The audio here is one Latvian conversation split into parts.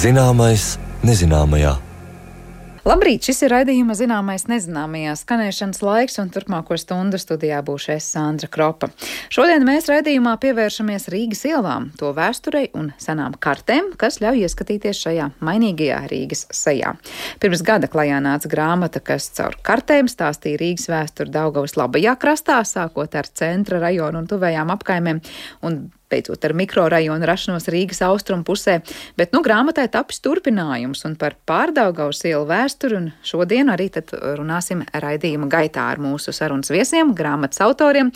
Zināmais nezināmajā. Labrīt, šis ir raidījuma Zināmais nezināmajā skanēšanas laiks, un turpmāko stundu studijā būšu es, Sandra Kropa. Šodien mēs raidījumā pievēršamies Rīgas ielām, to vēsturei un senām kartēm, kas ļauj ieskatīties šajā mainīgajā Rīgas sejā. Pirms gada klajā nāca grāmata, kas caur kartēm stāstīja Rīgas vēsturi Daugavas labajā krastā, sākot ar centra rajonu un tuvējām apkaimēm, un beidzot ar mikrorajonu rašanos Rīgas austrumu pusē, bet grāmatai tapis turpinājums un par Pārdaugavas ielu vēsturi, un šodien arī tad runāsim raidījuma gaitā ar mūsu sarunas viesiem, grāmatas autoriem,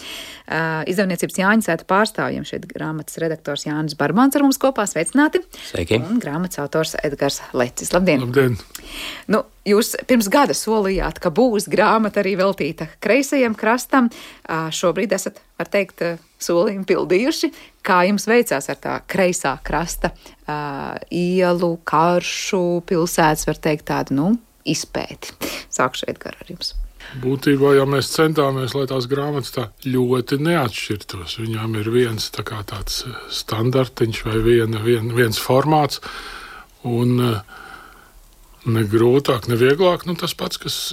izdevniecības Jāņasēta pārstāvjiem, šeit grāmatas redaktors Jānis Barmans ar mums kopā, sveicināti. Sveiki. Un grāmatas autors Edgars Lecis. Labdien! Labdien! Jūs pirms gada solījāt, ka būs grāmata arī veltīta kreisajam krastam. Šobrīd esat, var teikt, solījumu pildījuši. Kā jums veicās ar tā kreisā krasta ielu, karšu, pilsētas, var teikt, tādu, izpēti? Sākšu Edgar ar jums. Būtībā, ja mēs centāmies, lai tās grāmatas tā ļoti neatšķirtos, viņām ir viens tāds standartiņš vai viens formāts, un ne grūtāk, ne vieglāk, tas pats, kas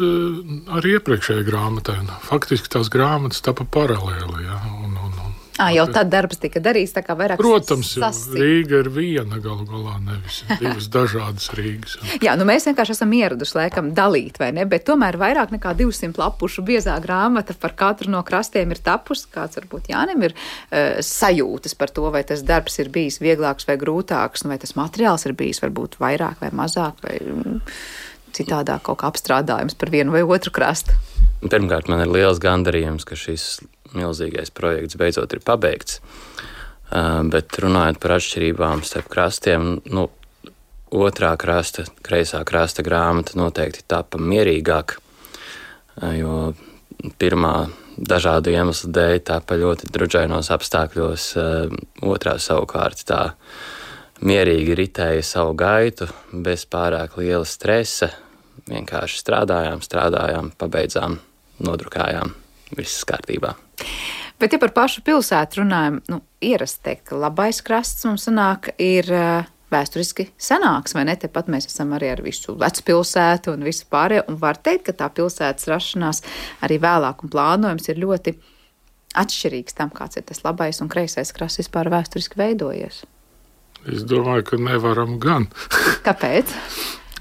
arī iepriekšējai grāmatai. Faktiski tās grāmatas tapa paralēli, ja, jau tad darbs tika darīts, tā kā vairāk Protams, jo Rīga ir viena galu galā, nevis divas dažādas Rīgas. Jā, mēs vienkārši esam ieraduši laikam dalīt, vai ne, bet tomēr vairāk nekā 200 lapušu biezā grāmata par katru no krastiem ir tapusi. Kāds varbūt Jānim ir sajūtas par to, vai tas darbs ir bijis vieglāks vai grūtāks, vai tas materiāls ir bijis varbūt vairāk vai mazāk, vai citādāk kaut kā apstrādājums par vienu vai otru krastu. Pirmkārt, man ir liels gandarījums, ka šis milzīgais projekts beidzot ir pabeigts. Bet runājot par atšķirībām starp krastiem, otrā krasta, kreisā krasta grāmata noteikti tapa mierīgāk, jo pirmā dažādu iemeslu dēļ tapa ļoti druģainos apstākļos, otrā savukārt tā mierīgi ritēja savu gaitu, bez pārāk liela stresa, vienkārši strādājām, pabeidzām, nodrukājām, viss kārtībā. Bet, ja par pašu pilsētu runājam, ierasti teikt, ka labais krasts mums sanāk ir vēsturiski senāks, vai ne? Tepat mēs esam arī ar visu vecpilsētu un visu pārējo, un var teikt, ka tā pilsētas rašanās arī vēlāk un plānojums ir ļoti atšķirīgs tam, kāds ir tas labais un kreisais krasts vispār vēsturiski veidojies. Es domāju, ka nevaram gan. Kāpēc?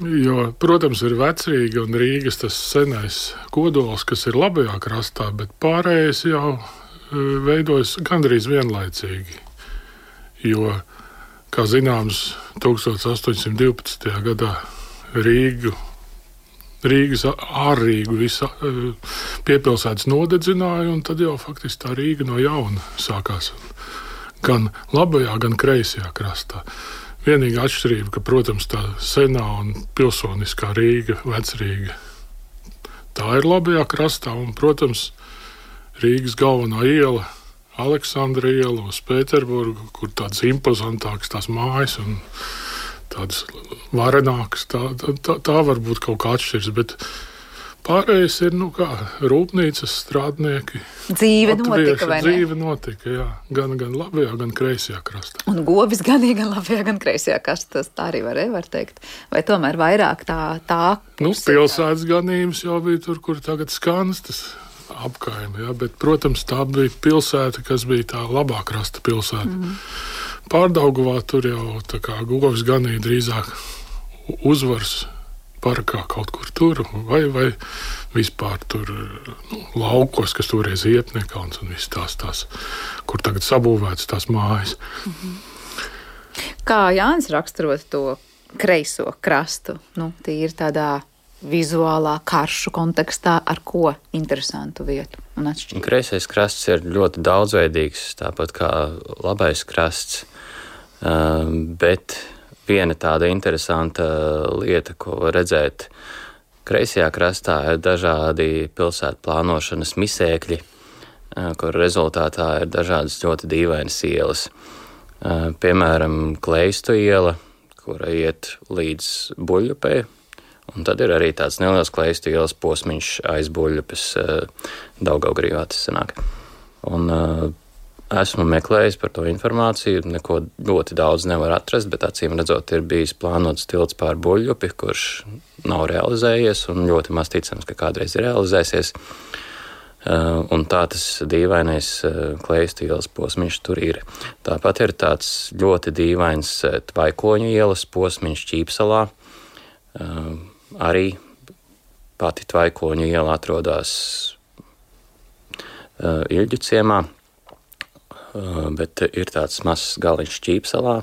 Jo, protams, ir Vecrīga un Rīgas tas senais kodols, kas ir labajā krastā, bet pārējais jau veidojas gandrīz vienlaicīgi. Jo, kā zināms, 1812. gadā Rīgas ārrīgu visa piepilsētas nodedzināja, un tad jau faktiski tā Rīga no jauna sākās gan labajā, gan kreisajā krastā. Vienīgā atšķirība, ka, protams, tā senā un pilsoniskā Rīga, Vecrīga, tā ir labajā krastā, un, protams, Rīgas galvenā iela, Aleksandra iela uz Pēterburgu, kur tādas impozantākas tās mājas un tādas varenākas, tā varbūt kaut kā atšķirs, bet pārējais ir, rūpnīcas strādnieki. Dzīve notika, vai ne? Dzīve notika, jā. Gan labajā, gan kreisajā krastā. Un govis gan labajā, gan kreisajā krastā, tā arī var teikt. Vai tomēr vairāk tā pilsētas ganības jau bija tur, kur tagad Skanstas apkaimi, jā, bet, protams, tā bija pilsēta, kas bija tā labā krasta pilsēta. Pārdaugavā tur jau tā kā govis ganīja drīzāk uzvars parkā kaut kur tur, vai vispār tur laukos, kas toreiz Iepniekauns un viss tās, kur tagad sabūvētas tās mājas. Kā Jānis raksturot to kreiso krastu, tīri tādā vizuālā karšu kontekstā, ar ko interesantu vietu un atšķirību? Kreisais krasts ir ļoti daudzveidīgs, tāpat kā labais krasts, bet viena tāda interesanta lieta, ko var redzēt kreisajā krastā, ir dažādi pilsētu plānošanas misēkļi, kur rezultātā ir dažādas ļoti dīvainas ielas. Piemēram, Kleistu iela, kura iet līdz Buļļupei, un tad ir arī tāds neliels Kleistu ielas posmiņš aiz Buļļupes, Daugavgrīvā tas sanāk. Un Esmu meklējis par to informāciju, neko ļoti daudz nevar atrast, bet acīm redzot ir bijis plānots tilts pār Buļļupi, kurš nav realizējies un ļoti maz ticams, ka kādreiz ir realizēsies. Un tā tas dīvainais Kleista ielas posmiņš tur ir. Tāpat ir tāds ļoti dīvains Tvaikoņu ielas posmiņš Ķīpsalā. Arī pati Tvaikoņu iela atrodas Ilģu ciemā, bet ir tāds mazs galiņš Ķīpsalā,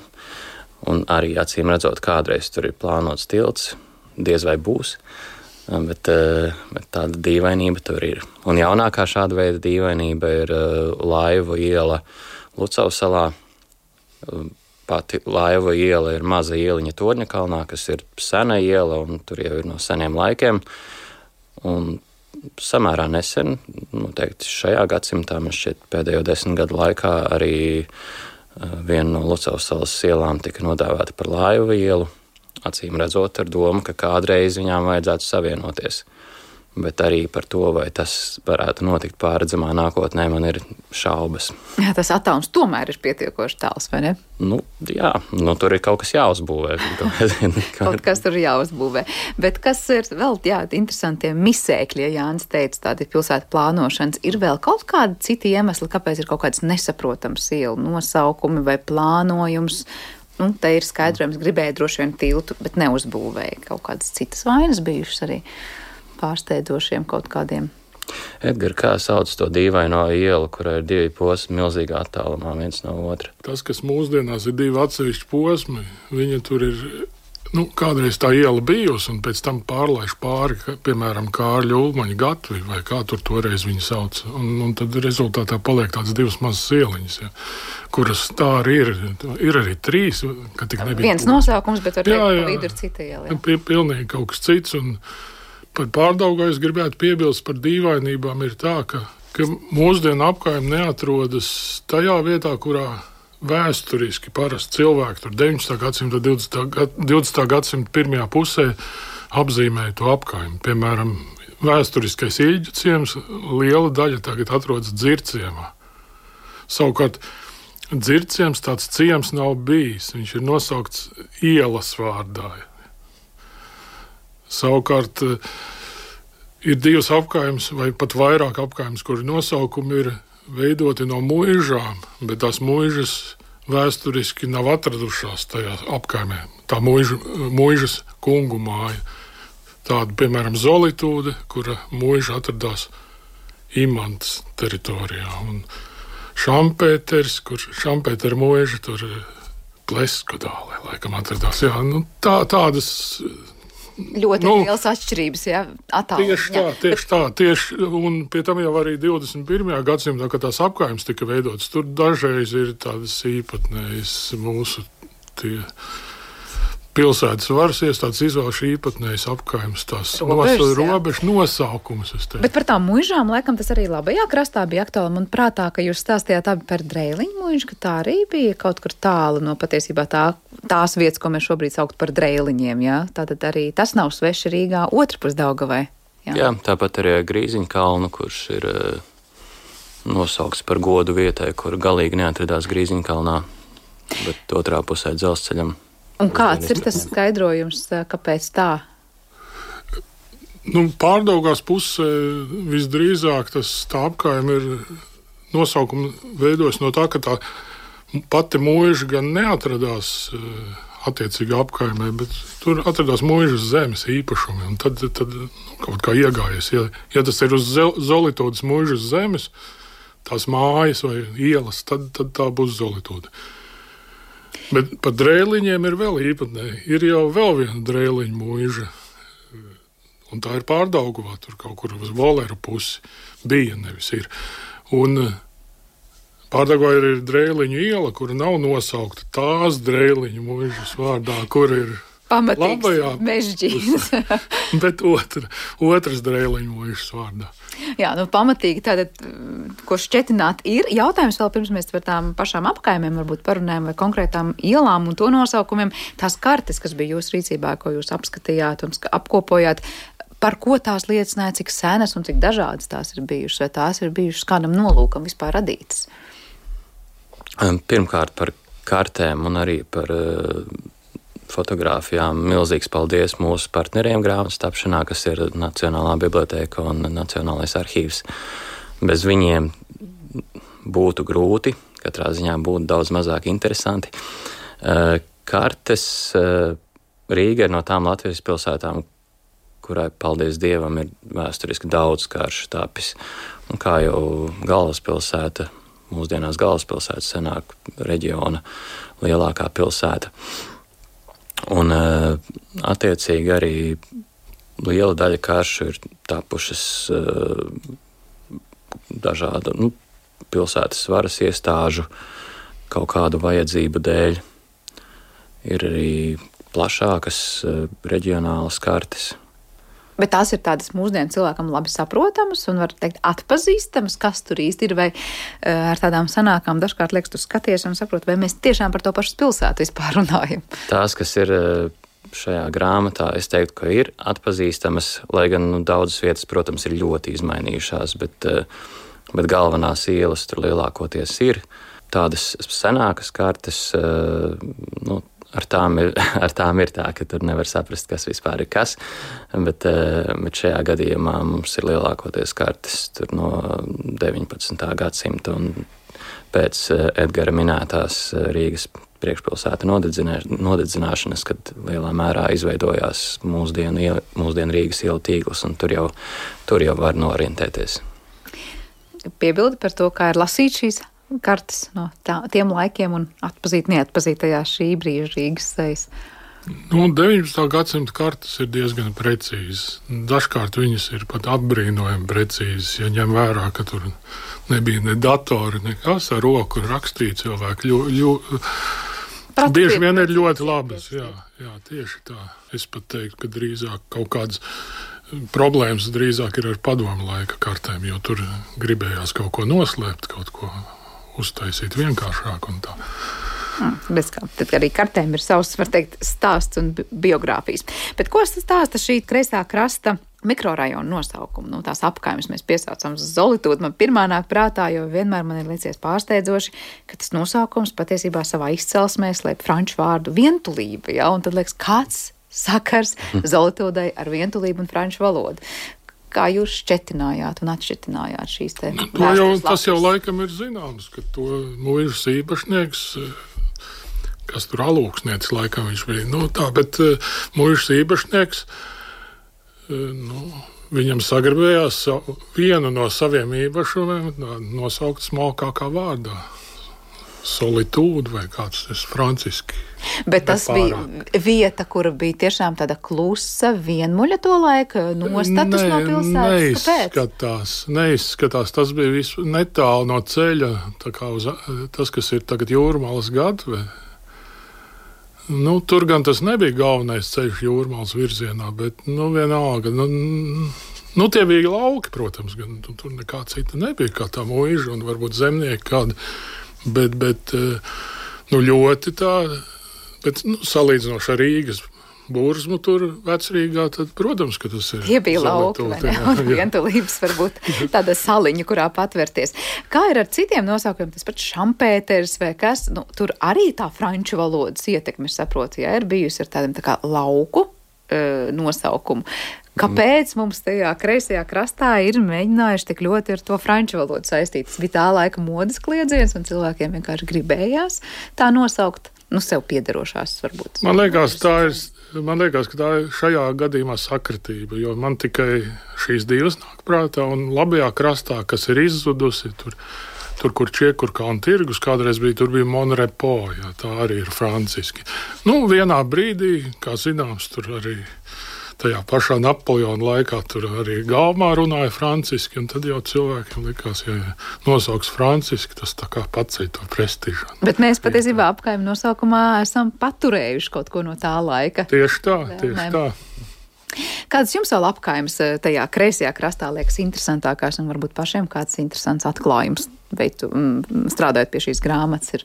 un arī acīm redzot kādreiz tur ir plānots tilts, diez vai būs, bet tāda dīvainība tur ir. Un jaunākā šāda veida dīvainība ir Laivu iela Lucavsalā. Pati Laivu iela ir maza ieliņa Torņakalnā, kas ir sena iela, un tur jau ir no seniem laikiem, un samērā nesen, noteikti šajā gadsimtā, man šķiet pēdējo 10 gadu laikā arī viena no Lucavsalas ielām tika nodēvēta par Laivu ielu, acīm redzot ar domu, ka kādreiz viņām vajadzētu savienoties. Bet arī par to, vai tas varētu notikt pārredzamā nākotnē, man ir šaubas. Jā, tas attālums tomēr ir pietiekoši tāls, vai ne? Jā, tur ir kaut kas jāuzbūvē. Kaut kas tur jāuzbūvē. Bet kas ir vēl, interesantie misēkļi, ja Jānis teica, tādi pilsētu plānošanas, ir vēl kaut kādi citi iemesli, kāpēc ir kaut kāds nesaprotams ielu nosaukumi vai plānojums? Te ir skaidrojums, gribēja droši vien tiltu, bet neuzbūvēja. Kaut kādas citas vainas bijušas arī pārsteidzošiem kaut kādiem. Edgar, kā sauc to dīvaino ielu, kurai ir 2 posmi milzīgā attālumā viens no otra? Tas, kas mūsdienās ir 2 atsevišķi posmi, viņa tur ir, kādreiz tā iela bijusi, un pēc tam pārlaiž pāri, piemēram, Kārļa Ulmaņa Gatvi, vai kā tur toreiz viņu sauc. Un tad rezultātā paliek tāds 2 mazas ieliņas, kuras tā arī ir. Ir arī 3, ka tik nebija. Viens nosaukums, bet var teikt, pa vidu ir cita iela. Pilnīgi kaut kas cits, un par Pārdaugavai es gribētu piebilst par dīvainībām ir tā, ka mūsdienu apkaime neatrodas tajā vietā, kurā vēsturiski parasti cilvēki tur 19. gadsimta, 20. gadsimta pirmajā pusē apzīmēja to apkaimi. Piemēram, vēsturiskais Ilģu ciems, liela daļa tagad atrodas Dzirciemā. Savukārt Dzirciems tāds ciems nav bijis, viņš ir nosaukts ielas vārdā. Savukārt ir 2 apkaimes vai pat vairāk apkaimes, kuri nosaukumi ir veidoti no muižām, bet tās muižas vēsturiski nav atradušās tajā apkaimē. Tā muižas kungu māja. Tāda, piemēram, Zolitūde, kura muiža atradās Imantas teritorijā. Un Šampēters, kur Šampētera muiža tur Pleskudālē laikam atradās. Jā, tādas ļoti lielas atšķirības, attālumā. Tieši, un pie tam jau arī 21. gadsimtā, kad tās apkaimes tika veidotas, tur dažreiz ir tādas īpatnējas mūsu pilsētas varas iestādes izvēlši īpatnējas apkaimes, tās robežu nosaukumus. Bet par tām muižām, laikam, tas arī labajā krastā bija aktuāli. Man prātā, ka jūs stāstījāt abi par Dreiliņu muižu, ka tā arī bija kaut kur tālu no patiesībā tās vietas, ko mēs šobrīd saukt par Dreiliņiem. Ja? Tātad arī tas nav sveši Rīgā otrpus Daugavai. Jā, tāpat arī Grīziņkalnu, kurš ir nosaukts par godu vietai, kur galīgi neatradās Grīziņkalnā, bet otrā pusē dzelzceļam. Un kāds ir tas skaidrojums, kāpēc tā? Pārdaugās pusē visdrīzāk tā apkaime ir nosaukuma veidojas no tā, ka tā pati muiža gan neatradās attiecīgā apkaimē, bet tur atradās muižas zemes īpašumi. Un tad kaut kā iegājies. Ja tas ir uz Zolitūdes muižas zemes, tās mājas vai ielas, tad tā būs Zolitūde. Bet par Dreiliņiem ir vēl īpatnēji. Ir jau vēl viena Dreiliņu muiža, un tā ir Pārdaugavā, tur kaut kur uz Voleru pusi bija, nevis ir. Un Pārdaugavā ir Dreiliņu iela, kura nav nosaukta tās Dreiliņu muižas vārdā, kur ir pamatīgs mežģīns. Bet otras Dreiliņu muižas vārdā. Jā, pamatīgi tātad, ko šķetināt ir. Jautājums vēl pirms mēs par tām pašām apkaimēm varbūt parunājam vai konkrētām ielām un to nosaukumiem. Tās kartes, kas bija jūsu rīcībā, ko jūs apskatījāt un apkopojāt, par ko tās liecināja, cik senas un cik dažādas tās ir bijušas, vai tās ir bijušas kādam nolūkam vispār radītas? Pirmkārt par kartēm un arī par fotogrāfijām. Milzīgs paldies mūsu partneriem grāmatas tapšanā, kas ir Nacionālā bibliotēka un Nacionālais arhīvs. Bez viņiem būtu grūti, katrā ziņā būtu daudz mazāk interesanti. Kartes Rīga ir no tām Latvijas pilsētām, kurai, paldies Dievam, ir vēsturiski daudz karšu tapis. Un kā jau galvaspilsēta, mūsdienās galvaspilsēta senāk reģiona lielākā pilsēta. Un attiecīgi arī liela daļa karšu ir tapušas dažādu pilsētas varas iestāžu kaut kādu vajadzību dēļ. Ir arī plašākas reģionālas kartes. Bet tās ir tādas mūsdienu cilvēkam labi saprotamas un, var teikt, atpazīstamas, kas tur īsti ir, vai ar tādām sanākām dažkārt liekas, tu skaties un saproti, vai mēs tiešām par to pašu pilsētu vispār runājam. Tās, kas ir šajā grāmatā, es teiktu, ka ir atpazīstamas, lai gan daudzas vietas, protams, ir ļoti izmainījušās, bet galvenās ielas tur lielākoties ir. Tādas senākas kartes, ar tām ir tā, ka tur nevar saprast, kas vispār ir kas, bet šajā gadījumā mums ir lielākoties kartes tur no 19. gadsimta un pēc Edgara minētās Rīgas priekšpilsētu nodedzināšanas, kad lielā mērā izveidojās mūsdienu Rīgas ielu tīkls, un tur jau var norientēties. Piebildi par to, kā ir lasīt šīs kartes no tiem laikiem un atpazīt neatpazītajās šī brīža Rīgas sejas. 19. gadsimta kartes ir diezgan precīzas. Dažkārt viņas ir pat apbrīnojami precīzas, ja ņem vērā, ka tur nebija ne datori, nekas ar roku rakstīt cilvēki. Bieži vien ir ļoti labas. Jā, tieši tā. Es pat teiktu, ka drīzāk kaut kādas problēmas drīzāk ir ar padomu laika kartēm, jo tur gribējās kaut ko noslēpt, kaut ko uztaisīt vienkāršāk un tā. Tad arī kartēm ir savs, var teikt, stāsts un biogrāfijas. Bet ko stāsta šī kreisā krasta mikrorajona nosaukumu? Tās apkaimes mēs piesaucam Zolitūdu. Man pirmā nāk prātā, jo vienmēr man ir liecies pārsteidzoši, ka tas nosaukums patiesībā savā izcelsmē slēp franču vārdu vientulība. Ja? Un tad liekas, kāds sakars Zolitūdai ar vientulību un franču valodu? Kā jūs šķetinājāt un atšķetinājāt šīs te vēstures? Tas jau laikam ir zināms, ka to mūžas īpašnieks, kas tur alūksnietis laikam viņš bija, bet mūžas īpašnieks, viņam sagribējās vienu no saviem īpašumiem nosaukt smalkākā vārdā. Solitūda vai kāds tas franciski. Bet tas bija vieta, kura bija tiešām tāda klusa, vienmuļa to laika, nostatus no pilsētas. Neizskatās. Tas bija netālu no ceļa, tā kā tas, kas ir tagad Jūrmalas gatve. Tur gan tas nebija galvenais ceļš Jūrmalas virzienā, bet vienalga. Tie bija lauki, protams, gan tur nekā cita nebija, kā tā mūža un varbūt zemnieki kādi. Bet ļoti tā, bet salīdzinoši ar Rīgas Burzmu tur Vecrīgā, tad, protams, ka tas ir. Tie bija lauki, vai ne? Un vientulības varbūt tāda saliņa, kurā patvērties. Kā ir ar citiem nosaukumiem? Tas pats Šampēters vai kas? Tur arī tā franču valodas ietekme, saprotu, ja ir bijusi ar tādiem tā kā lauku nosaukumu. Kāpēc mums tajā kreisajā krastā ir mēģinājuši tik ļoti ar to franču valodu saistīt? Tas bija tā laika modes kliedziens, un cilvēkiem vienkārši gribējās tā nosaukt, sev piederošās varbūt. Man liekas, ka tā ir šajā gadījumā sakritība, jo man tikai šīs divas nāk prātā, un labajā krastā, kas ir izzudusi, tur kur Čiekurkalna tirgus, kādreiz tur bija Monrepo, jā, tā arī ir franciski. Vienā brīdī, kā zināms, tur arī tajā pašā Napoleona laikā tur arī galvā runāja franciski, un tad jau cilvēkiem likās, ja nosauks franciski, tas tā kā paceļ to prestižu. Bet mēs patiesībā apkaimu nosaukumā esam paturējuši kaut ko no tā laika. Tieši tā. Kādas jums vēl apkaimes tajā kreisajā krastā liekas interesantākās, un varbūt pašiem kāds interesants atklājums, strādājot pie šīs grāmatas,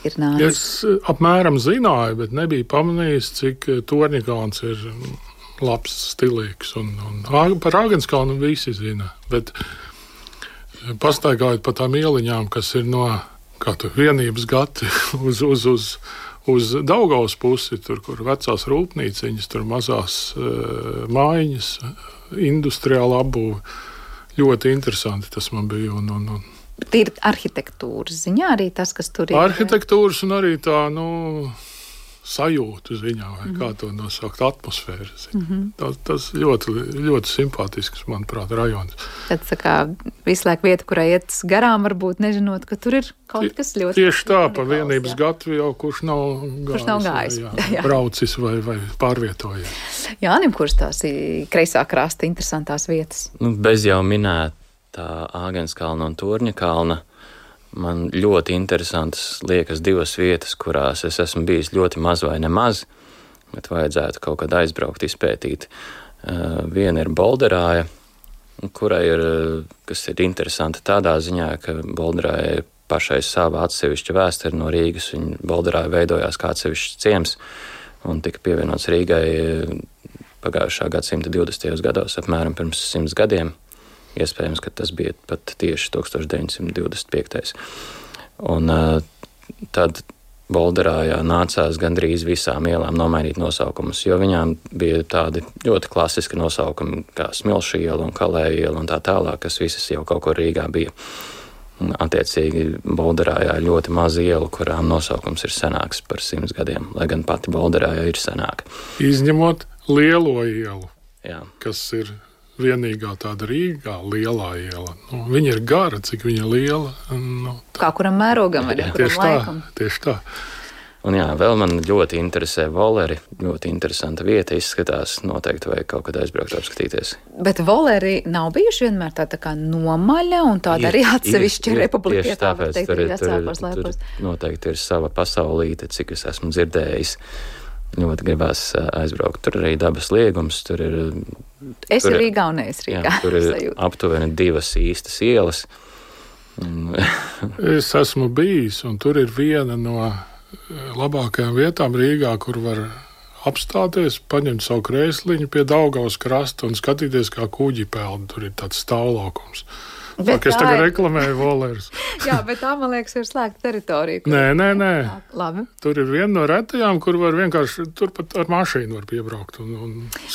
ir nācis? Es apmēram zināju, bet nebiju pamanījis, cik Torņakalns ir labs, stilīgs, un par Āgenskalnu visi zina, bet pastaigājot pa tām ieliņām, kas ir no vienības gati uz Daugavas pusi, tur, kur vecās rūpnīciņas, tur mazās mājiņas, industriāla apbūve. Ļoti interesanti tas man bija. Ir arhitektūras ziņā arī tas, kas tur ir? Arhitektūras un arī tā, sajūtu ziņā, vai kā to nosaukt, atmosfēras ziņā. Tas ļoti, ļoti simpātisks, manuprāt, rajons. Tad tā kā visu laiku vieta, kurai iet garām, varbūt nežinot, ka tur ir kaut kas ļoti... Tieši tā, pa vienības gatavu jau kurš nav gājis. Jā. Braucis vai pārvietojies. Jānim, kurš tās ir kreisā krasta interesantās vietas? Bez jau minētā Āgenskalna un Torņa kalna. Man ļoti interesantas liekas divas vietas, kurās es esmu bijis ļoti maz vai nemaz, bet vajadzētu kaut kad aizbraukt, izpētīt. Viena ir Bolderāja, kurai kas ir interesanti tādā ziņā, ka Bolderāja pašai sava atsevišķa vēsture no Rīgas, un Bolderāja veidojās kā atsevišķs ciems un tika pievienots Rīgai pagājušā gadsimta 20. gados, apmēram pirms 100 gadiem. Iespējams, ka tas bija pat tieši 1925. Un tad Bolderājā nācās gandrīz visām ielām nomainīt nosaukumus, jo viņām bija tādi ļoti klasiski nosaukumi kā Smilšu iela un Kalēja iela un tā tālāk, kas visas jau kaut kur Rīgā bija. Attiecīgi Bolderājā ļoti maza iela, kurām nosaukums ir senāks par 100 gadiem, lai gan pati Bolderājā ir senāka. Izņemot Lielo ielu, Jā. Kas ir vienīgā tāda Rīgā lielā iela. Viņa ir gara, cik viņa liela. Kā kuram mērogam vai kuram laikam. Tieši tā. Un jā, vēl man ļoti interesē voleri. Ļoti interesanta vieta izskatās. Noteikti vajag kaut kad aizbraukt apskatīties. Bet voleri nav bijuši vienmēr tā kā nomaļa un tāda arī atsevišķa republika. Tieši tāpēc tur noteikti ir sava pasaulīte, cik es esmu dzirdējis. Ļoti gribās aizbraukt. Tur arī dabas liegums. Tur ir Rīgā un es Rīgā. Jā, tur ir aptuveni 2 īstas ielas. Es esmu bijis, un tur ir viena no labākajām vietām Rīgā, kur var apstāties, paņemt savu krēsliņu pie Daugavas krasta un skatīties, kā kuģi peld. Tur ir tāds stāvlaukums. Es tagad reklamēju volerus. Jā, bet tā, man liekas, ir slēgta teritorija. Nē. Labi. Tur ir viena no retajām, kur var vienkārši turpat ar mašīnu var piebraukt.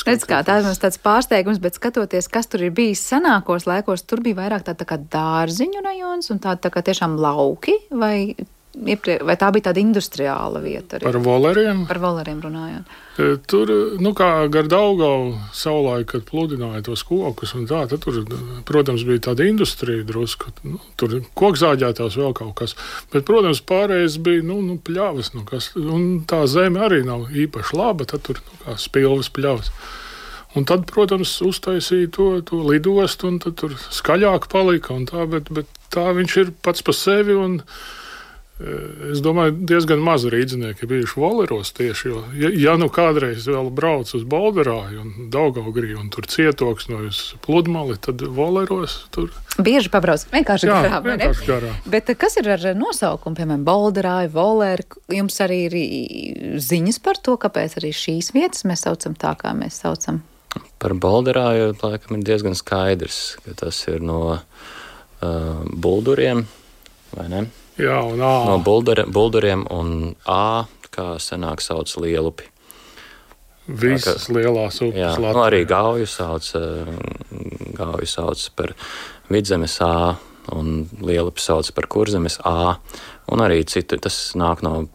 Redz, kā tā ir tāds pārsteigums, bet skatoties, kas tur ir bijis senākos laikos, tur bija vairāk tā kā dārziņu rajons un tā kā tiešām lauki, vai tā bija tāda industriāla vieta arī? Par voleriem? Par voleriem runājot. Tur, kā gar Daugavu savulaik, kad pludināja tos kokus un tā, tad tur, protams, bija tāda industrija drusku. Tur kokzāģētās vēl kaut kas. Bet, protams, pārējais bija, pļavas, un tā zeme arī nav īpaši laba, tad tur, kā spilvas pļavas. Un tad, protams, uztaisīja to lidostu, un tad tur skaļāk palika un tā, bet tā viņš ir pats pa sevi un es domāju, diezgan maz rīdzinieki bijuši voleros tieši, jo, ja kādreiz vēl brauc uz Bolderāju un Daugavgriju un tur cietoksnojas pludmali, tad voleros tur... Bieži pabrauc, vienkārši garām, vai ne? Vienkārši garām. Bet kas ir ar nosaukumu, piemēram, Bolderāju, voleri? Jums arī ir ziņas par to, kāpēc arī šīs vietas mēs saucam tā, kā mēs saucam? Par Bolderāju, laikam, ir diezgan skaidrs, ka tas ir no bulduriem, vai ne? Jā, un A. No bulduriem un A, kā senāk sauc Lielupi. Visas lielās upes Latvijā. Arī Gauju sauc par Vidzemes A un Lielupi sauc par Kurzemes A. Un arī citu, tas nāk no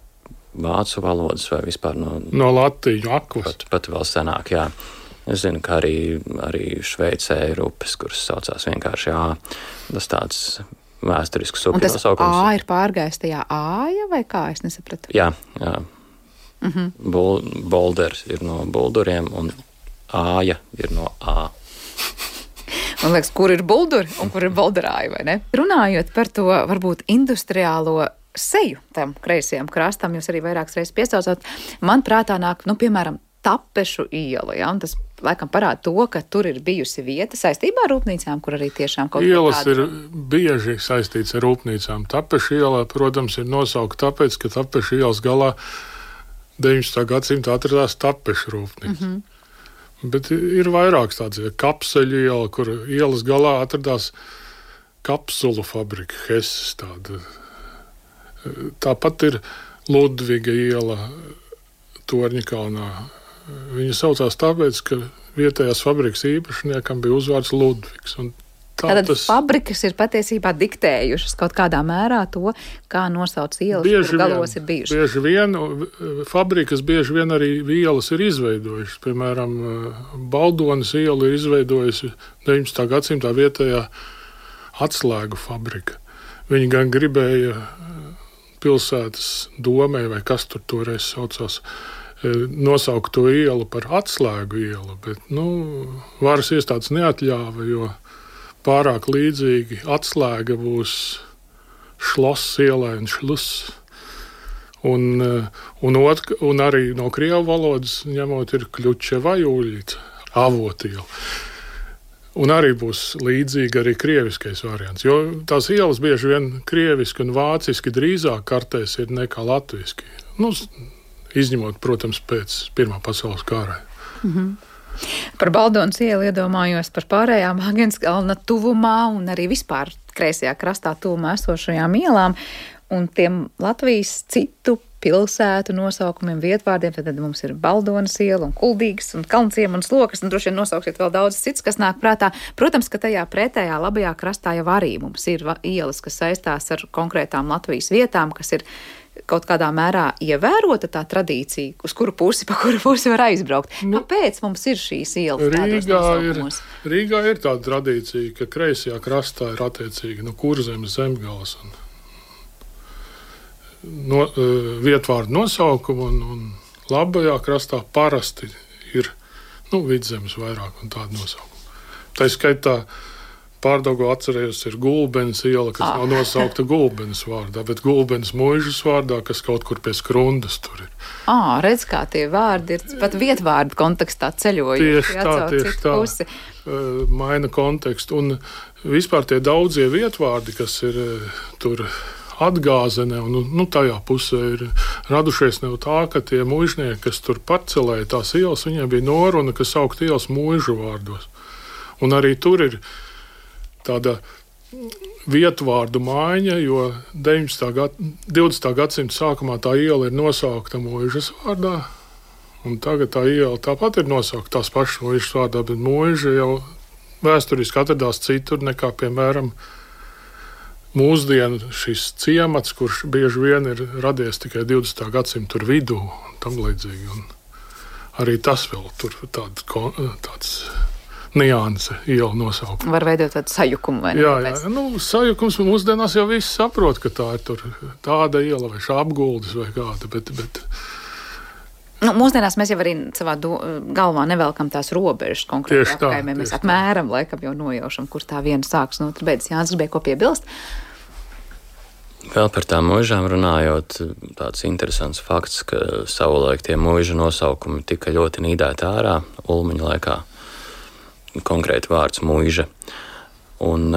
vācu valodas vai vispār no latīņu akvas. Pat vēl senāk, jā. Es zinu, ka arī Šveicē ir upes, kuras saucās vienkārši A. Tas tāds vēsturisks upju nosaukums. Un tas A ir pārgājis tajā Āja vai kā? Es nesapratu. Jā. Bolders ir no bulduriem un Āja ir no A. Man liekas, kur ir bulduri un kur ir Bolderāja, vai ne? Runājot par to varbūt industriālo seju tam kreisajam krastam, jūs arī vairākas reizes piesaucāt, man prātā nāk, piemēram, Tapešu iela, ja, un tas laikam parāda to, ka tur ir bijusi vieta saistībā ar rūpnīcām, kur arī tiešām kaut kā ielas ir bieži saistīts ar rūpnīcām. Tapešu iela, protams, ir nosauka tāpēc, ka Tapešu ielas galā 19. gadsimta atradās Tapešu rūpnīca. Bet ir vairāks tāds Kapseļu iela, kur ielas galā atradās kapsulu fabrika, Hesses tāda Tāpat ir Ludviga iela Torņakalnā. Viņa saucās tāpēc, ka vietējās fabrikas īpašniekam bija uzvārds Ludvigs. Tātad fabrikas ir patiesībā diktējušas kaut kādā mērā to, kā nosauc ielas, kur galos ir bijušas. Bieži vien, fabrikas bieži vien arī ielas ir izveidojušas. Piemēram, Baldonas iela ir izveidojusi 19. gadsimtā vietējā atslēgu fabrika. Viņi gan gribēja pilsētas domē, vai kas tur toreiz saucās, nosaukt to ielu par atslēgu ielu, bet, varas iestādes neatļāva, jo pārāk līdzīgi atslēga būs šloss ielai un šluss. Un arī no krievu valodas ņemot ir kļučeva jūļica, avotiela. Un arī būs līdzīgi arī krieviskais variants, jo tās ielas bieži vien krieviski un vāciski drīzāk kartēs ir nekā latviski. Izņemot, protams, pēc Pirmā pasaules kara. Par Baldonas ielu iedomājos par pārējām Agenskalna tuvumā un arī vispār kreisajā krastā tuvumā esošajām ielām un tiem Latvijas citu pilsētu nosaukumiem, vietvārdiem. Tad mums ir Baldonas iela un Kuldīgas un Kalnciema un Slokas, un droši vien nosauksiet vēl daudz cits, kas nāk prātā. Protams, ka tajā pretējā labajā krastā jau arī mums ir ielas, kas saistās ar konkrētām Latvijas vietām, kas ir kaut kādā mērā ievērota tā tradīcija, uz pa kuru pusi var aizbraukt. Kāpēc mums ir šīs ielas tādos nosaukumos? Rīgā ir tāda tradīcija, ka kreisajā krastā ir attiecīgi Kurzemes, Zemgales un vietvārdu nosaukumu, un labajā krastā parasti ir Vidzemes vairāk un tādu nosaukumu. Tā skaitā Pārdaugavā atcerējos ir Gulbenes iela, kas nav nosaukta Gulbenes vārdā, bet Gulbenes muižas vārdā, kas kaut kur pie Skrundas tur ir. Redz, kā tie vārdi ir pat vietvārdu kontekstā ceļojuši. Tieši tā. Maina kontekstu. Un vispār tie daudzie vietvārdi, kas ir tur Atgāzene, un tajā pusē ir radušies no tā, ka tie muižnieki, kas tur parcelēja tās ielas, viņiem bija noruna, kas saukt ielas muižu vārdos. Un arī tur ir tāda vietvārdu maiņa, jo 20. gadsimta sākumā tā iela ir nosaukta muižas vārdā, un tagad tā iela tāpat ir nosaukta tās pašas muižas vārdā, bet muiža jau vēsturiski atradās citur nekā, piemēram, mūsdienu šis ciemats, kurš bieži vien ir radies tikai 20. gadsimta vidū un tam līdzīgi. Un arī tas vēl tur tāds nianse iela nosaukuma. Var veidot tādu sajukumu, vai ne? Jā. Sajukums mūsdienās jau viss saprot, ka tā ir tur tāda iela vai Apguldes vai kāda, bet mūsdienās mēs jau arī savā galvā nevelkam tās robežas konkrēti apkaimē. Mēs apmēram laikam jau nojaušam, kur tā viena sāks no otras beidzas. Jānis gribēja ko piebilst? Vēl par tām muižām runājot, tāds interesants fakts, ka savulaik tie muižu nosaukumi tika ļoti nīdēti ārā Ulmaņa laikā. Konkrēti vārds muiža. Un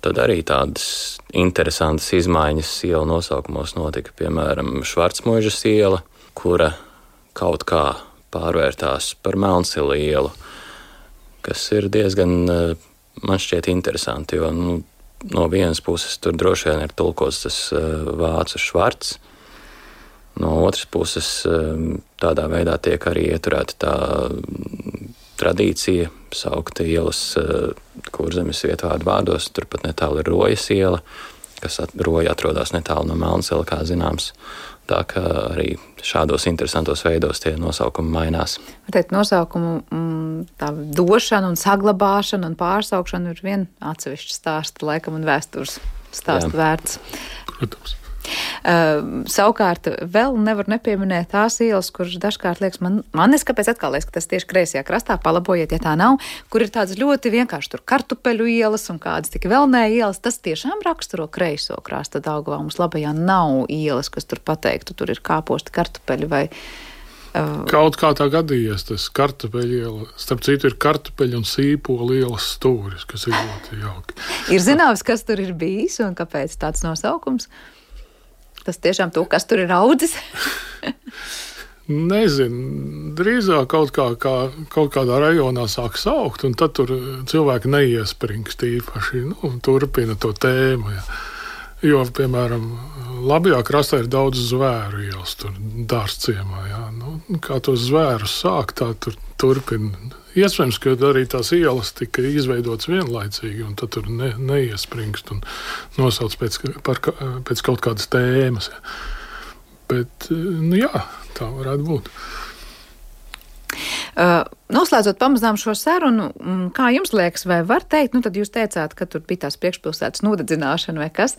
tad arī tādas interesantas izmaiņas ielu nosaukumos notika. Piemēram, Švarcmuižas iela, kura kaut kā pārvērtās par Melnsili ielu, kas ir diezgan, man šķiet, interesanti, jo no vienas puses tur droši vien ir tulkots tas vācu švarts, no otras puses tādā veidā tiek arī ieturēta tā tradīcija saukt ielas Kurzemes vietvārdu vārdos. Turpat netālu ir Rojas iela, kas Roja atrodas netālu no Melnsila, kā zināms. Tā kā arī šādos interesantos veidos tie nosaukumi mainās. Teikt, nosaukumu tā došana un saglabāšana un pārsaukšana ir vien atsevišķa stāsta laikam un vēstures stāsta vērts. Protams. Savukārt vēl nevar nepieminēt tās ielas, kuras dažkārt liekas, man kāpēc atkal liekas, ka tas tieši kreisajā krastā, palabojiet, ja tā nav, kur ir tādas ļoti vienkārši tur kartupeļu ielas un kādas tik vēlnē ielas, tas tiešām raksturo kreiso krasta Daugavā. Mums labajā nav ielas, kas tur pateiktu, tur ir kāposti kartupeļi vai... Kaut kā tā gadījies tas kartupeļu iela. Starp citu ir kartupeļu un sīpolu ielas stūris, kas ir ļoti jauki. Ir zināms, kas tur ir bijis un kāpēc tāds nosaukums? Tas tiešām to, kas tur ir audzis? Nezinu. Drīzāk kaut kādā rajonā sāk saukt, un tad tur cilvēki neiespringst īpaši, turpina to tēmu. Jo, piemēram, labajā krastā ir daudz zvēru ielas, tur dārzciemā. Jā. Nu, kā tos zvērus sāk, tā tur turpina. Iespējams, ka arī tās ielas tika izveidotas vienlaicīgi, un tad tur neiespringst un nosauc pēc kaut kādas tēmas. Jā. Bet, nu jā, tā varētu būt. Noslēdzot pamazām šo sarunu, kā jums liekas, vai var teikt, nu tad jūs teicāt, ka tur bija tās priekšpilsētas nodedzināšana vai kas,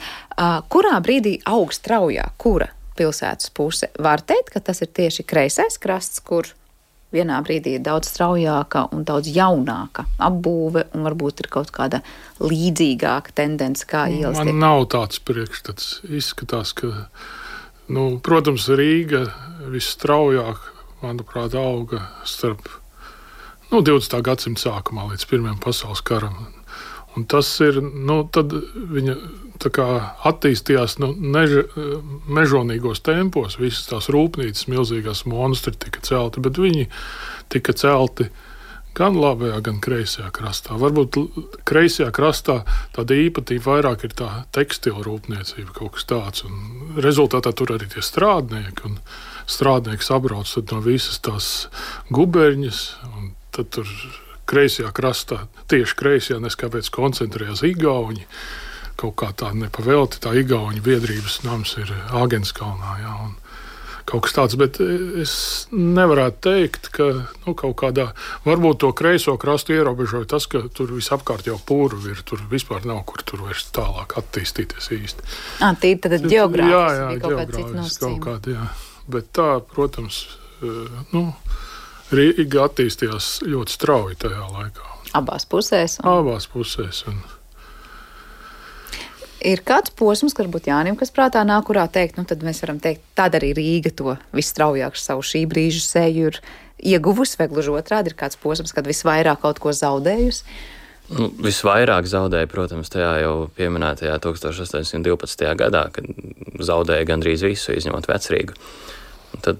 kurā brīdī aug straujāk, kura pilsētas puse? Var teikt, ka tas ir tieši kreisais krasts, kur vienā brīdī ir daudz straujāka un daudz jaunāka apbūve, un varbūt ir kaut kāda līdzīgāka tendence, kā ielas tiek? Man nav tāds priekšstats. Izskatās, ka, protams, Rīga visstraujāk, manuprāt, auga starp 20. gadsimta sākumā līdz Pirmajam pasaules karam. Un tas ir, tad viņa tā kā attīstījās mežonīgos tempos, visas tās rūpnīcas, milzīgās monstri tika celti, bet viņi tika celti gan labajā, gan kreisajā krastā. Varbūt kreisajā krastā tāda īpatība vairāk ir tā tekstila rūpniecība, kaut kas tāds. Un rezultātā tur arī tie strādnieki, un strādnieki sabrauc no visas tās guberņas, un tad tur kreisajā krastā, tieši kreisajā, neskāpēc koncentrējās igauņi. Kaut kā tā nepavelti, tā igauņu biedrības nams ir Āgenskalnā, jā, un kaut kas tāds, bet es nevarētu teikt, ka kaut kādā, varbūt to kreiso krastu ierobežoja tas, ka tur visapkārt jau pūru ir, tur vispār nav, kur tur vairs tālāk attīstīties īsti. Tīri tad ģeogrāfiski jā, bija kaut kāda cita nosacījuma. Kaut kāda, jā. Bet tā, protams, Rīga attīstījās ļoti strauji tajā laikā. Abās pusēs? Abās pusēs. Ir kāds posms, varbūt Jānim, kas prātā nāk, kurā teikt, tad mēs varam teikt, tad arī Rīga to visstraujāk savu šī brīža seju ir ieguvusi, vai gluži otrādi ir kāds posms, kad visvairāk kaut ko zaudējusi? Visvairāk zaudēja, protams, tajā jau pieminētajā 1812. gadā, kad zaudēja gandrīz visu, izņemot Vecrīgu. Un tad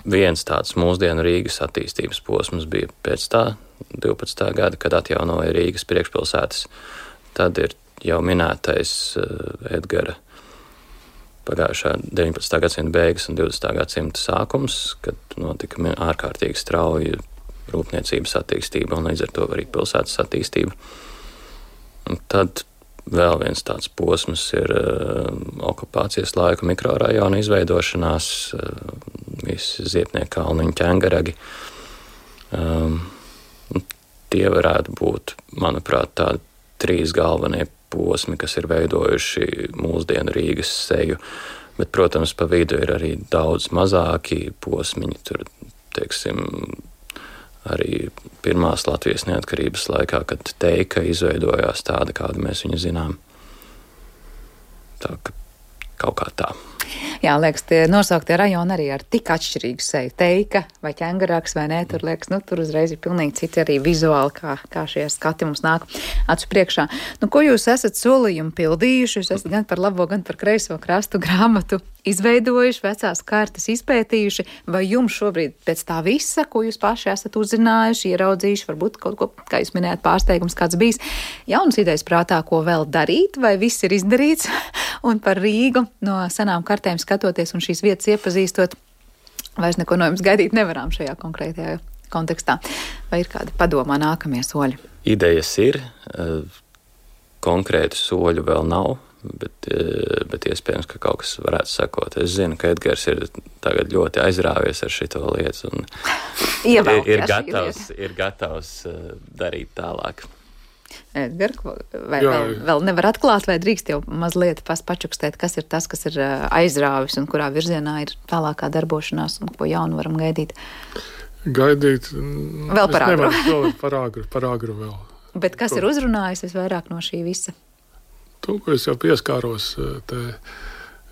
viens tāds mūsdienu Rīgas attīstības posms bija pēc tā 12. gada, kad atjaunoja Rīgas priekšpilsētas. Tad ir jau minētais Edgara pagājušā 19. gadsimta beigas un 20. gadsimta sākums, kad notika ārkārtīgi strauja rūpniecības attīstība un līdz ar to arī pilsētas attīstība. Un tad vēl viens tāds posms ir okupācijas laika mikrorajona izveidošanās, visi Ziepnieku kalniņu ķengaragi. Tie varētu būt, manuprāt, tādi 3 galvenie posmi, kas ir veidojuši mūsdienu Rīgas seju, bet, protams, pa vidu ir arī daudz mazāki posmiņi, tur, teiksim, arī pirmās Latvijas neatkarības laikā, kad Teika izveidojās tāda, kādu mēs viņu zinām. Tā, kaut kā tā. Jā, liekas, tie nosauktie rajoni arī ar tik atšķirīgu seju. Teika vai ķengarāks vai nē, tur liekas, tur uzreiz ir pilnīgi citi arī vizuāli, kā šie skati mums nāk acu priekšā. Ko jūs esat solījumu pildījuši? Jūs esat gan par labo, gan par kreiso krastu grāmatu izveidojuši, vecās kartas izpētījuši, vai jums šobrīd pēc tā visa, ko jūs paši esat uzzinājuši, ieraudzījuši, varbūt kaut ko, kā jūs minējāt, pārsteigums kāds bijis, jaunas idejas prātā, ko vēl darīt, vai viss ir izdarīts, un par Rīgu no senām kartēm skatoties un šīs vietas iepazīstot, vairs neko no jums gaidīt nevaram šajā konkrētajā kontekstā. Vai ir kāda padomā nākamie soļi? Idejas ir, konkrētu soļu vēl nav, bet iespējams, ka kaut kas varētu sakot. Es zinu, ka Edgars ir tagad ļoti aizrāvies ar šito lietu un ir gatavs darīt tālāk. Edgar, vai vēl nevar atklāt, vai drīkst jau mazliet pačukstēt, kas ir tas, kas ir aizrāvis un kurā virzienā ir tālākā darbošanās un ko jaunu varam gaidīt? Gaidīt? Vēl par agru. Par agru vēl. Bet kas ir uzrunājis visvairāk no šī visa? To, ko es jau pieskāros te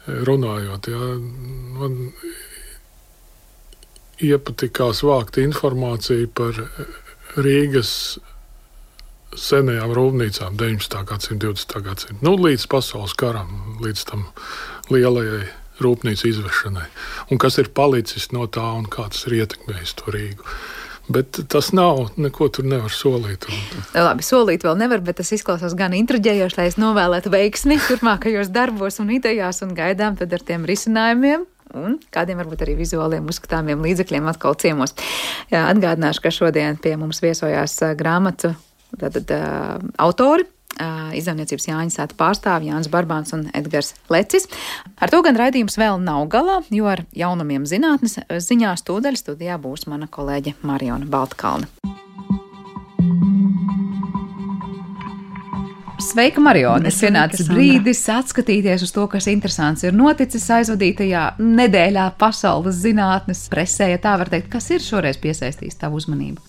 runājot, man iepatikās vākt informāciju par Rīgas senajām rūpnīcām 19. gadsimta, 20. gadsimta, līdz pasaules karam, līdz tam lielajai rūpnīcu izvešanai. Un kas ir palicis no tā un kā tas ir ietekmējis to Rīgu. Bet tas nav, neko tur nevar solīt. Labi, solīt vēl nevar, bet tas izklausās gan intriģējoši, lai es novēlētu veiksmi turpmākajos darbos un idejās un gaidām tad ar tiem risinājumiem. Un kādiem varbūt arī vizuāliem uzskatāmiem līdzekļiem atkal ciemos. Jā, atgādināšu, ka šodien pie mums viesojās grāmatu autori, izdevniecības Jāņa Sēta pārstāvji Jānis Barbāns un Edgars Lecis. Ar to gan raidījums vēl nav galā, jo ar jaunumiem zinātnes ziņās tūdaļ studijā būs mana kolēģe Mariona Baltkalne. Sveika, Mariona! Es pienācis brīdis atskatīties uz to, kas interesants ir noticis aizvadītajā nedēļā pasaules zinātnes presē, ja tā var teikt. Kas ir šoreiz piesaistījis tavu uzmanību?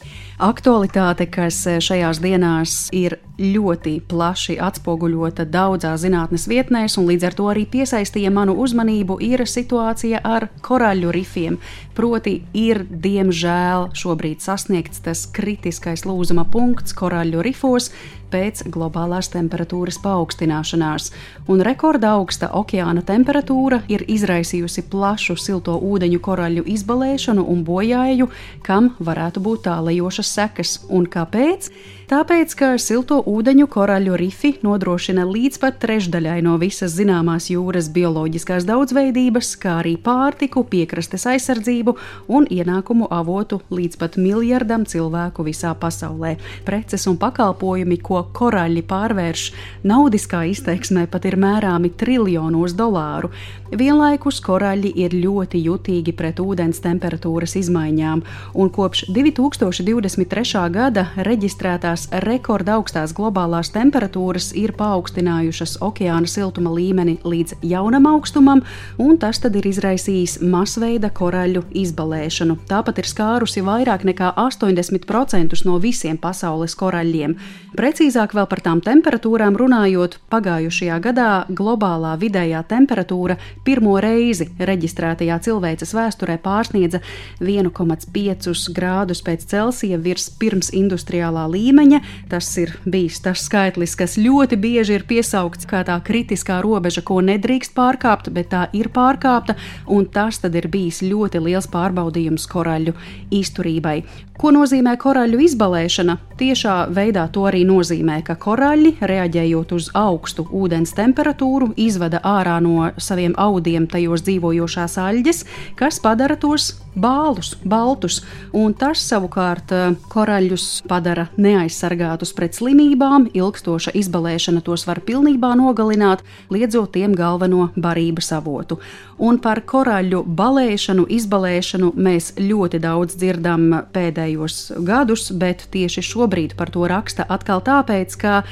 Aktualitāte, kas šajās dienās ir ļoti plaši atspoguļota daudzās zinātnes vietnēs un līdz ar to arī piesaistīja manu uzmanību, ir situācija ar koraļu rifiem. Proti ir, diemžēl, šobrīd sasniegts tas kritiskais lūzuma punkts koraļu rifos pēc globālās temperatūras paaugstināšanās. Un rekorda augsta okeāna temperatūra ir izraisījusi plašu silto ūdeņu koraļu izbalēšanu un bojāju, kam varētu būt tālajošas sekas. Un kāpēc? Tāpēc, ka silto ūdeņu koraļu rifi nodrošina līdz pat trešdaļai no visas zināmās jūras bioloģiskās daudzveidības, kā arī pārtiku, piekrastes aizsardzību un ienākumu avotu līdz pat 1 miljardam cilvēku visā pasaulē. Preces un pakalpojumi, ko koraļi pārvērš naudiskā izteiksmē, pat ir mērāmi triljonos dolāru. Vienlaikus koraļi ir ļoti jutīgi pret ūdens temperatūras izmaiņām, un kopš 2023. gada reģistrētās rekorda augstās globālās temperatūras ir paaugstinājušas okeāna siltuma līmeni līdz jaunam augstumam, un tas tad ir izraisījis masveida koraļu izbalēšanu. Tāpat ir skārusi vairāk nekā 80% no visiem pasaules koraļiem. Precīzāk vēl par tām temperatūrām runājot, pagājušajā gadā globālā vidējā temperatūra pirmo reizi reģistrētajā cilvēces vēsturē pārsniedza 1,5 grādus pēc Celsija virs pirms industriālā līmeņa. Tas ir bijis tas skaitlis, kas ļoti bieži ir piesaukts kā tā kritiskā robeža, ko nedrīkst pārkāpt, bet tā ir pārkāpta, un tas tad ir bijis ļoti liels pārbaudījums koraļu izturībai. Ko nozīmē koraļu izbalēšana? Tiešā veidā to arī nozīmē, ka koraļi, reaģējot uz augstu ūdens temperatūru, izvada ārā no saviem audiem tajos dzīvojošās aļģes, kas padara tos bālus, baltus, un tas savukārt koraļus padara neaizsargātus pret slimībām, ilgstoša izbalēšana tos var pilnībā nogalināt, liedzot tiem galveno barības avotu. Un par koraļu balēšanu, izbalēšanu mēs ļoti daudz dzirdam pēdējos gadus, bet tieši šobrīd par to raksta atkal tāpēc, ka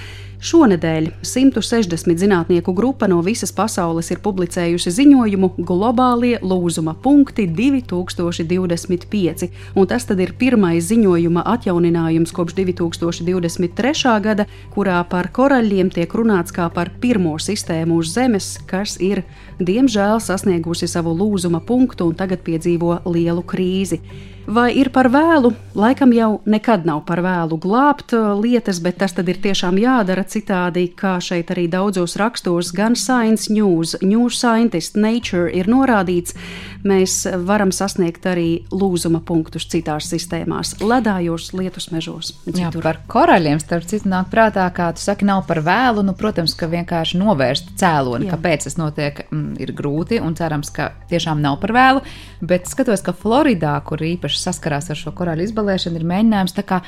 šonedēļ 160 zinātnieku grupa no visas pasaules ir publicējusi ziņojumu Globālie lūzuma punkti 2025, un tas tad ir pirmais ziņojuma atjauninājums kopš 2023. gada, kurā par koraļiem tiek runāts kā par pirmo sistēmu uz Zemes, kas ir, diemžēl, sasniegusi savu lūzuma punktu un tagad piedzīvo lielu krīzi. Vai ir par vēlu? Laikam jau nekad nav par vēlu glābt lietas, bet tas tad ir tiešām jādara citādi, kā šeit arī daudzos rakstos, gan Science News, New Scientist, Nature ir norādīts, mēs varam sasniegt arī lūzuma punktus citās sistēmās, ledājos, lietus mežos. Jā, par koraļiem, starp citu, nāk prātā, kā tu saki, nav par vēlu, protams, ka vienkārši novērst cēloni, kāpēc tas notiek, ir grūti, un cerams, ka tiešām nav par vēlu, bet skatos, ka Floridā, kur īpaši saskarās ar šo koraļu izbalēšanu, ir mēģinājums tā kā,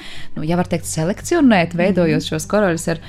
ja var teikt, selekcionēt, veidojot šos koraļus ar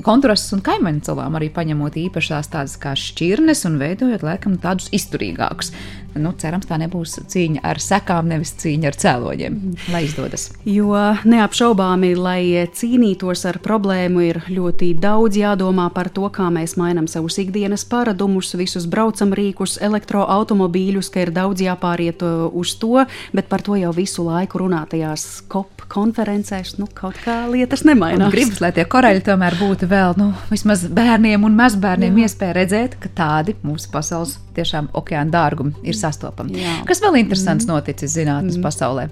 kontrastus un kaimiņu salām, arī paņemot īpašās tādas kā šķirnes un veidojot, laikam, tādus izturīgākus. Cerams, tā nebūs cīņa ar sekām, nevis cīņa ar cēloņiem, lai izdodas. Jo neapšaubāmi, lai cīnītos ar problēmu, ir ļoti daudz jādomā par to, kā mēs mainam savus ikdienas paradumus, visus braucam rīkus, elektroautomobīļus, ka ir daudz jāpāriet uz to, bet par to jau visu laiku runātajās COP konferencēs, kaut kā lietas nemainās. Un gribas, lai tie koraļi tomēr būtu vēl, vismaz bērniem un mazbērniem iespēja redzēt, ka tādi mūsu pasaules tiešām okeāna dārgumi ir sastopami. Kas vēl interesants noticis zinātnes pasaulē?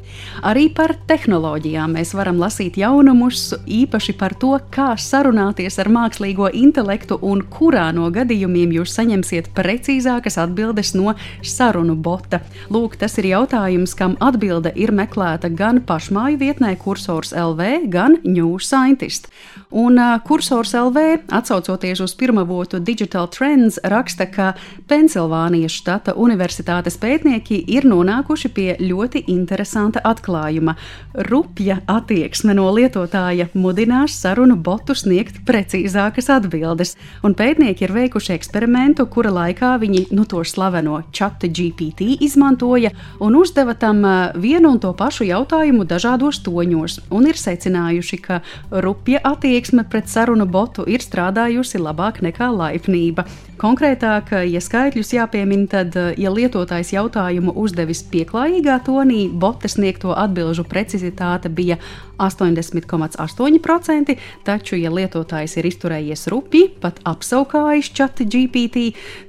Arī par tehnoloģijām mēs varam lasīt jaunumus, īpaši par to, kā sarunāties ar mākslīgo intelektu un kurā no gadījumiem jūs saņemsiet precīzākas atbildes no sarunu bota. Lūk, tas ir jautājums, kam atbilde ir meklēta gan pašmāju vietnē Kursors LV, gan New Scientist. Un Kursors LV, atsaucoties uz pirmavotu Digital Trends, raksta, ka Pensilvānijas štata universitātes pētnieki ir nonākuši pie ļoti interesanta atklājuma. Rupja attieksme no lietotāja mudinās sarunu botu sniegt precīzākas atbildes. Un pētnieki ir veikuši eksperimentu, kura laikā viņi to slaveno ChatGPT izmantoja un uzdeva tam vienu un to pašu jautājumu dažādos toņos. Un ir secinājuši, ka rupja attieksme pret sarunu botu ir strādājusi labāk nekā laipnība. Konkrētāk, ja skaitļus jāpiemina, tad, ja lietotājs jautājumu uzdevis pieklājīgā tonī, bota sniegto atbilžu precizitāte bija 80,8%, taču, ja lietotājs ir izturējies rupji, pat apsaukājis ChatGPT,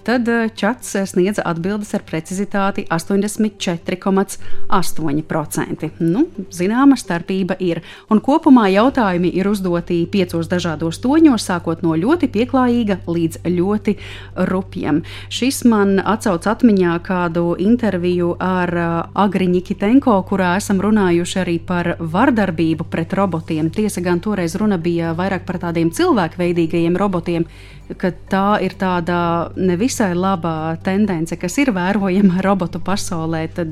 tad čats sniedza atbildes ar precizitāti 84,8%. Zināma starpība ir. Un kopumā jautājumi ir uzdoti 5 dažādos toņos, sākot no ļoti pieklājīga līdz ļoti rupjiem. Šis man atsauc atmiņā kādu interviju ar Agri Nikitenko, kurā esam runājuši arī par vardarbību pret robotiem. Tiesa gan toreiz runa bija vairāk par tādiem cilvēkveidīgajiem robotiem, ka tā ir tāda nevisai labā tendence, kas ir vērojama robotu pasaulē, tad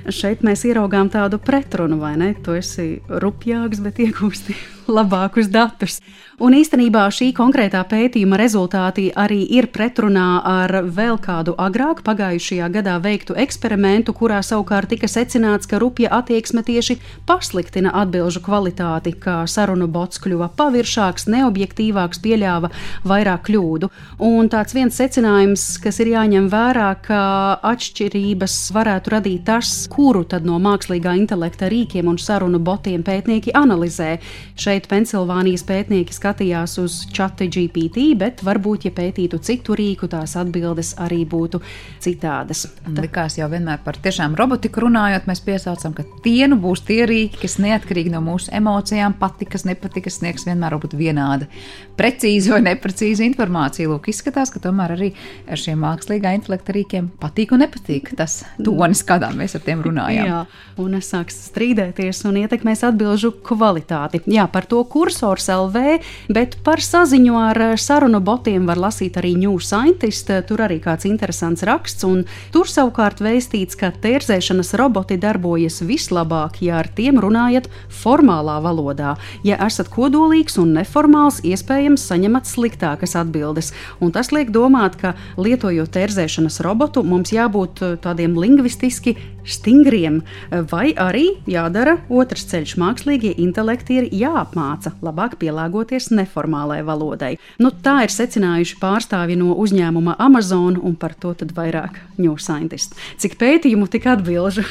šeit mēs ieraugām tādu pretrunu, vai ne? Tu esi rupjāks, bet iegūsti labākus datus. Un īstenībā šī konkrētā pētījuma rezultāti arī ir pretrunā ar vēl kādu agrāk pagājušajā gadā veiktu eksperimentu, kurā savukārt tika secināts, ka rupja attieksme tieši pasliktina atbilžu kvalitāti, kā sarunu bots kļuva paviršāks, neobjektīvāks, pieļāva vairāk kļūdu. Un tāds viens secinājums, kas ir jāņem vērā, ka atšķirības varētu radīt tas, kuru tad no mākslīgā intelekta rīkiem un sarunu botiem pētnieki analizē. Šeit Pensilvānijas pētnieki skatījās uz ChatGPT, bet varbūt, ja pētītu citu rīku, tās atbildes arī būtu citādas. Likās jau vienmēr par tiešām robotiku runājot, mēs piesaucam, ka tie būs tie rīki, kas neatkarīgi no mūsu emocijām, patikas, nepatikas, sniegs vienmēr būtu vienāda precīza vai neprecīza informācija. Lūk, izskatās, ka tomēr arī ar šiem mākslīgā intelekta rīkiem patīk un nepatīk tas tonis, kādā mēs ar tiem runājām. Jā, un sāks strīdēties un ietekmēs atbilžu kvalitāti. Jā, par to Kursors LV, bet par saziņu ar sarunu botiem var lasīt arī New Scientist, tur arī kāds interesants raksts, un tur savukārt vēstīts, ka tērzēšanas roboti darbojas vislabāk, ja ar tiem runājat formālā valodā. Ja esat kodolīgs un neformāls, iespējams saņemat sliktākas atbildes, un tas liek domāt, ka lietojot tērzēšanas robotu, mums jābūt tādiem lingvistiski stingriem, vai arī jādara otrs ceļš, mākslīgie intelekti ir jāapmāca labāk pielāgoties neformālai valodai. Tā ir secinājuši pārstāvji no uzņēmuma Amazon, un par to tad vairāk New Scientist. Cik pētījumu, tik atbilžu.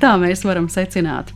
Tā mēs varam secināt.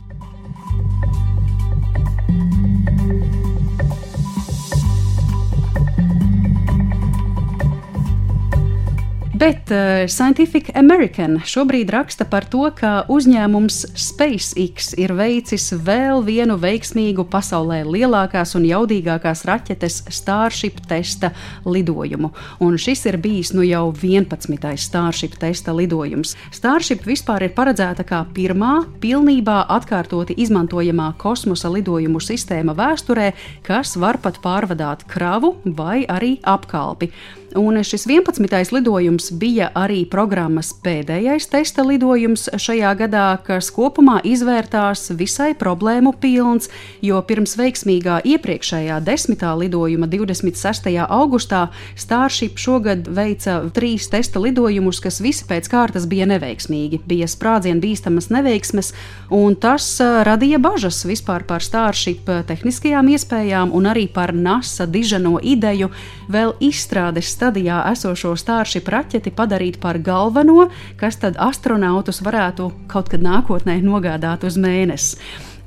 Bet Scientific American šobrīd raksta par to, ka uzņēmums SpaceX ir veicis vēl vienu veiksmīgu pasaulē lielākās un jaudīgākās raķetes Starship testa lidojumu. Un šis ir bijis jau 11. Starship testa lidojums. Starship vispār ir paredzēta kā pirmā pilnībā atkārtoti izmantojamā kosmosa lidojumu sistēma vēsturē, kas var pat pārvadāt kravu vai arī apkalpi. Un šis 11. lidojums bija arī programmas pēdējais testa lidojums šajā gadā, kas kopumā izvērtās visai problēmu pilns, jo pirms veiksmīgā iepriekšējā 10. lidojuma 26. augustā Starship šogad veica 3 testa lidojumus, kas visi pēc kārtas bija neveiksmīgi. Bija sprādzienu bīstamas neveiksmes, un tas radīja bažas vispār par Starship tehniskajām iespējām un arī par NASA diženo ideju vēl izstrādes stadijā esošo Starship raķeti padarīt par galveno, kas tad astronautus varētu kaut kad nākotnē nogādāt uz Mēnesi.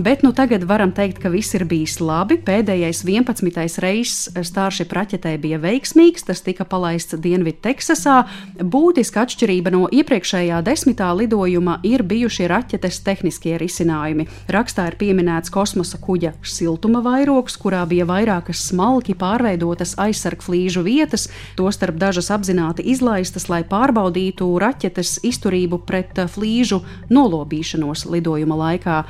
bet tagad varam teikt, ka viss ir bijis labi. Pēdējais 11. reizes Starship raķetē bija veiksmīgs, tas tika palaists Dienvidu Teksasā. Būtiska atšķirība no iepriekšējā 10. lidojuma ir bijušie raķetes tehniskie risinājumi. Rakstā ir pieminēts kosmosa kuģa siltuma vairogs, kurā bija vairākas smalki pārveidotas aizsargflīžu vietas, tostarp dažas apzināti izlaistas, lai pārbaudītu raķetes izturību pret flīžu nolobīšanos lidojuma laikā.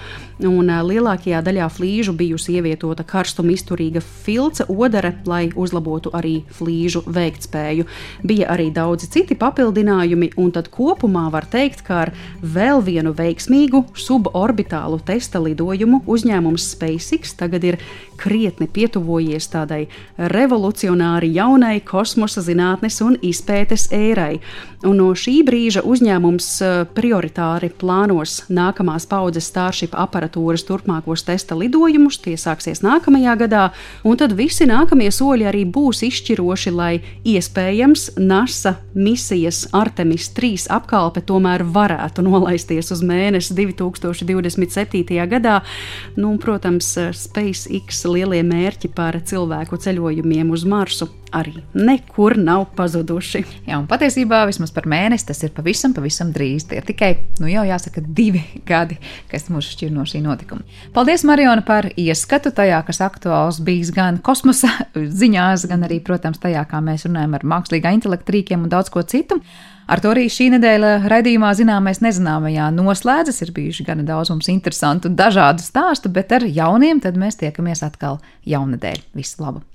Un lielākajā daļā flīžu bijusi ievietota karstuma izturīga filca odare, lai uzlabotu arī flīžu veiktspēju. Bija arī daudzi citi papildinājumi, un tad kopumā var teikt, ka ar vēl vienu veiksmīgu suborbitālu testa lidojumu uzņēmums SpaceX tagad ir krietni pietuvojies tādai revolucionāri jaunai kosmosa zinātnes un izpētes ērai. Un no šī brīža uzņēmums prioritāri plānos nākamās paudzes Starship aparatūras turpmākos testa lidojumus, tie sāksies nākamajā gadā, un tad visi nākamie soļi arī būs izšķiroši, lai iespējams NASA misijas Artemis 3 apkalpe tomēr varētu nolaisties uz mēnesi 2027. gadā. Protams, SpaceX lielie mērķi par cilvēku ceļojumiem uz Marsu arī nekur nav pazuduši. Jā, un patiesībā vismaz par mēnesi tas ir pavisam drīz. Tie ir tikai, jau jāsaka, 2 gadi, kas mūs šķir no šī notikuma. Paldies, Mariona, par ieskatu tajā, kas aktuāls bijis gan kosmosa ziņās, gan arī, protams, tajā, kā mēs runājam ar mākslīgā intelekta rīkiem un daudz ko citu. Ar to arī šī nedēļa raidījumā Zināmais nezināmajā noslēdzas. Ir bijuši gana daudz mums interesantu un dažādu stāstu, bet ar jauniem tad mēs tiekamies atkal jaunedēļ. Visu labu!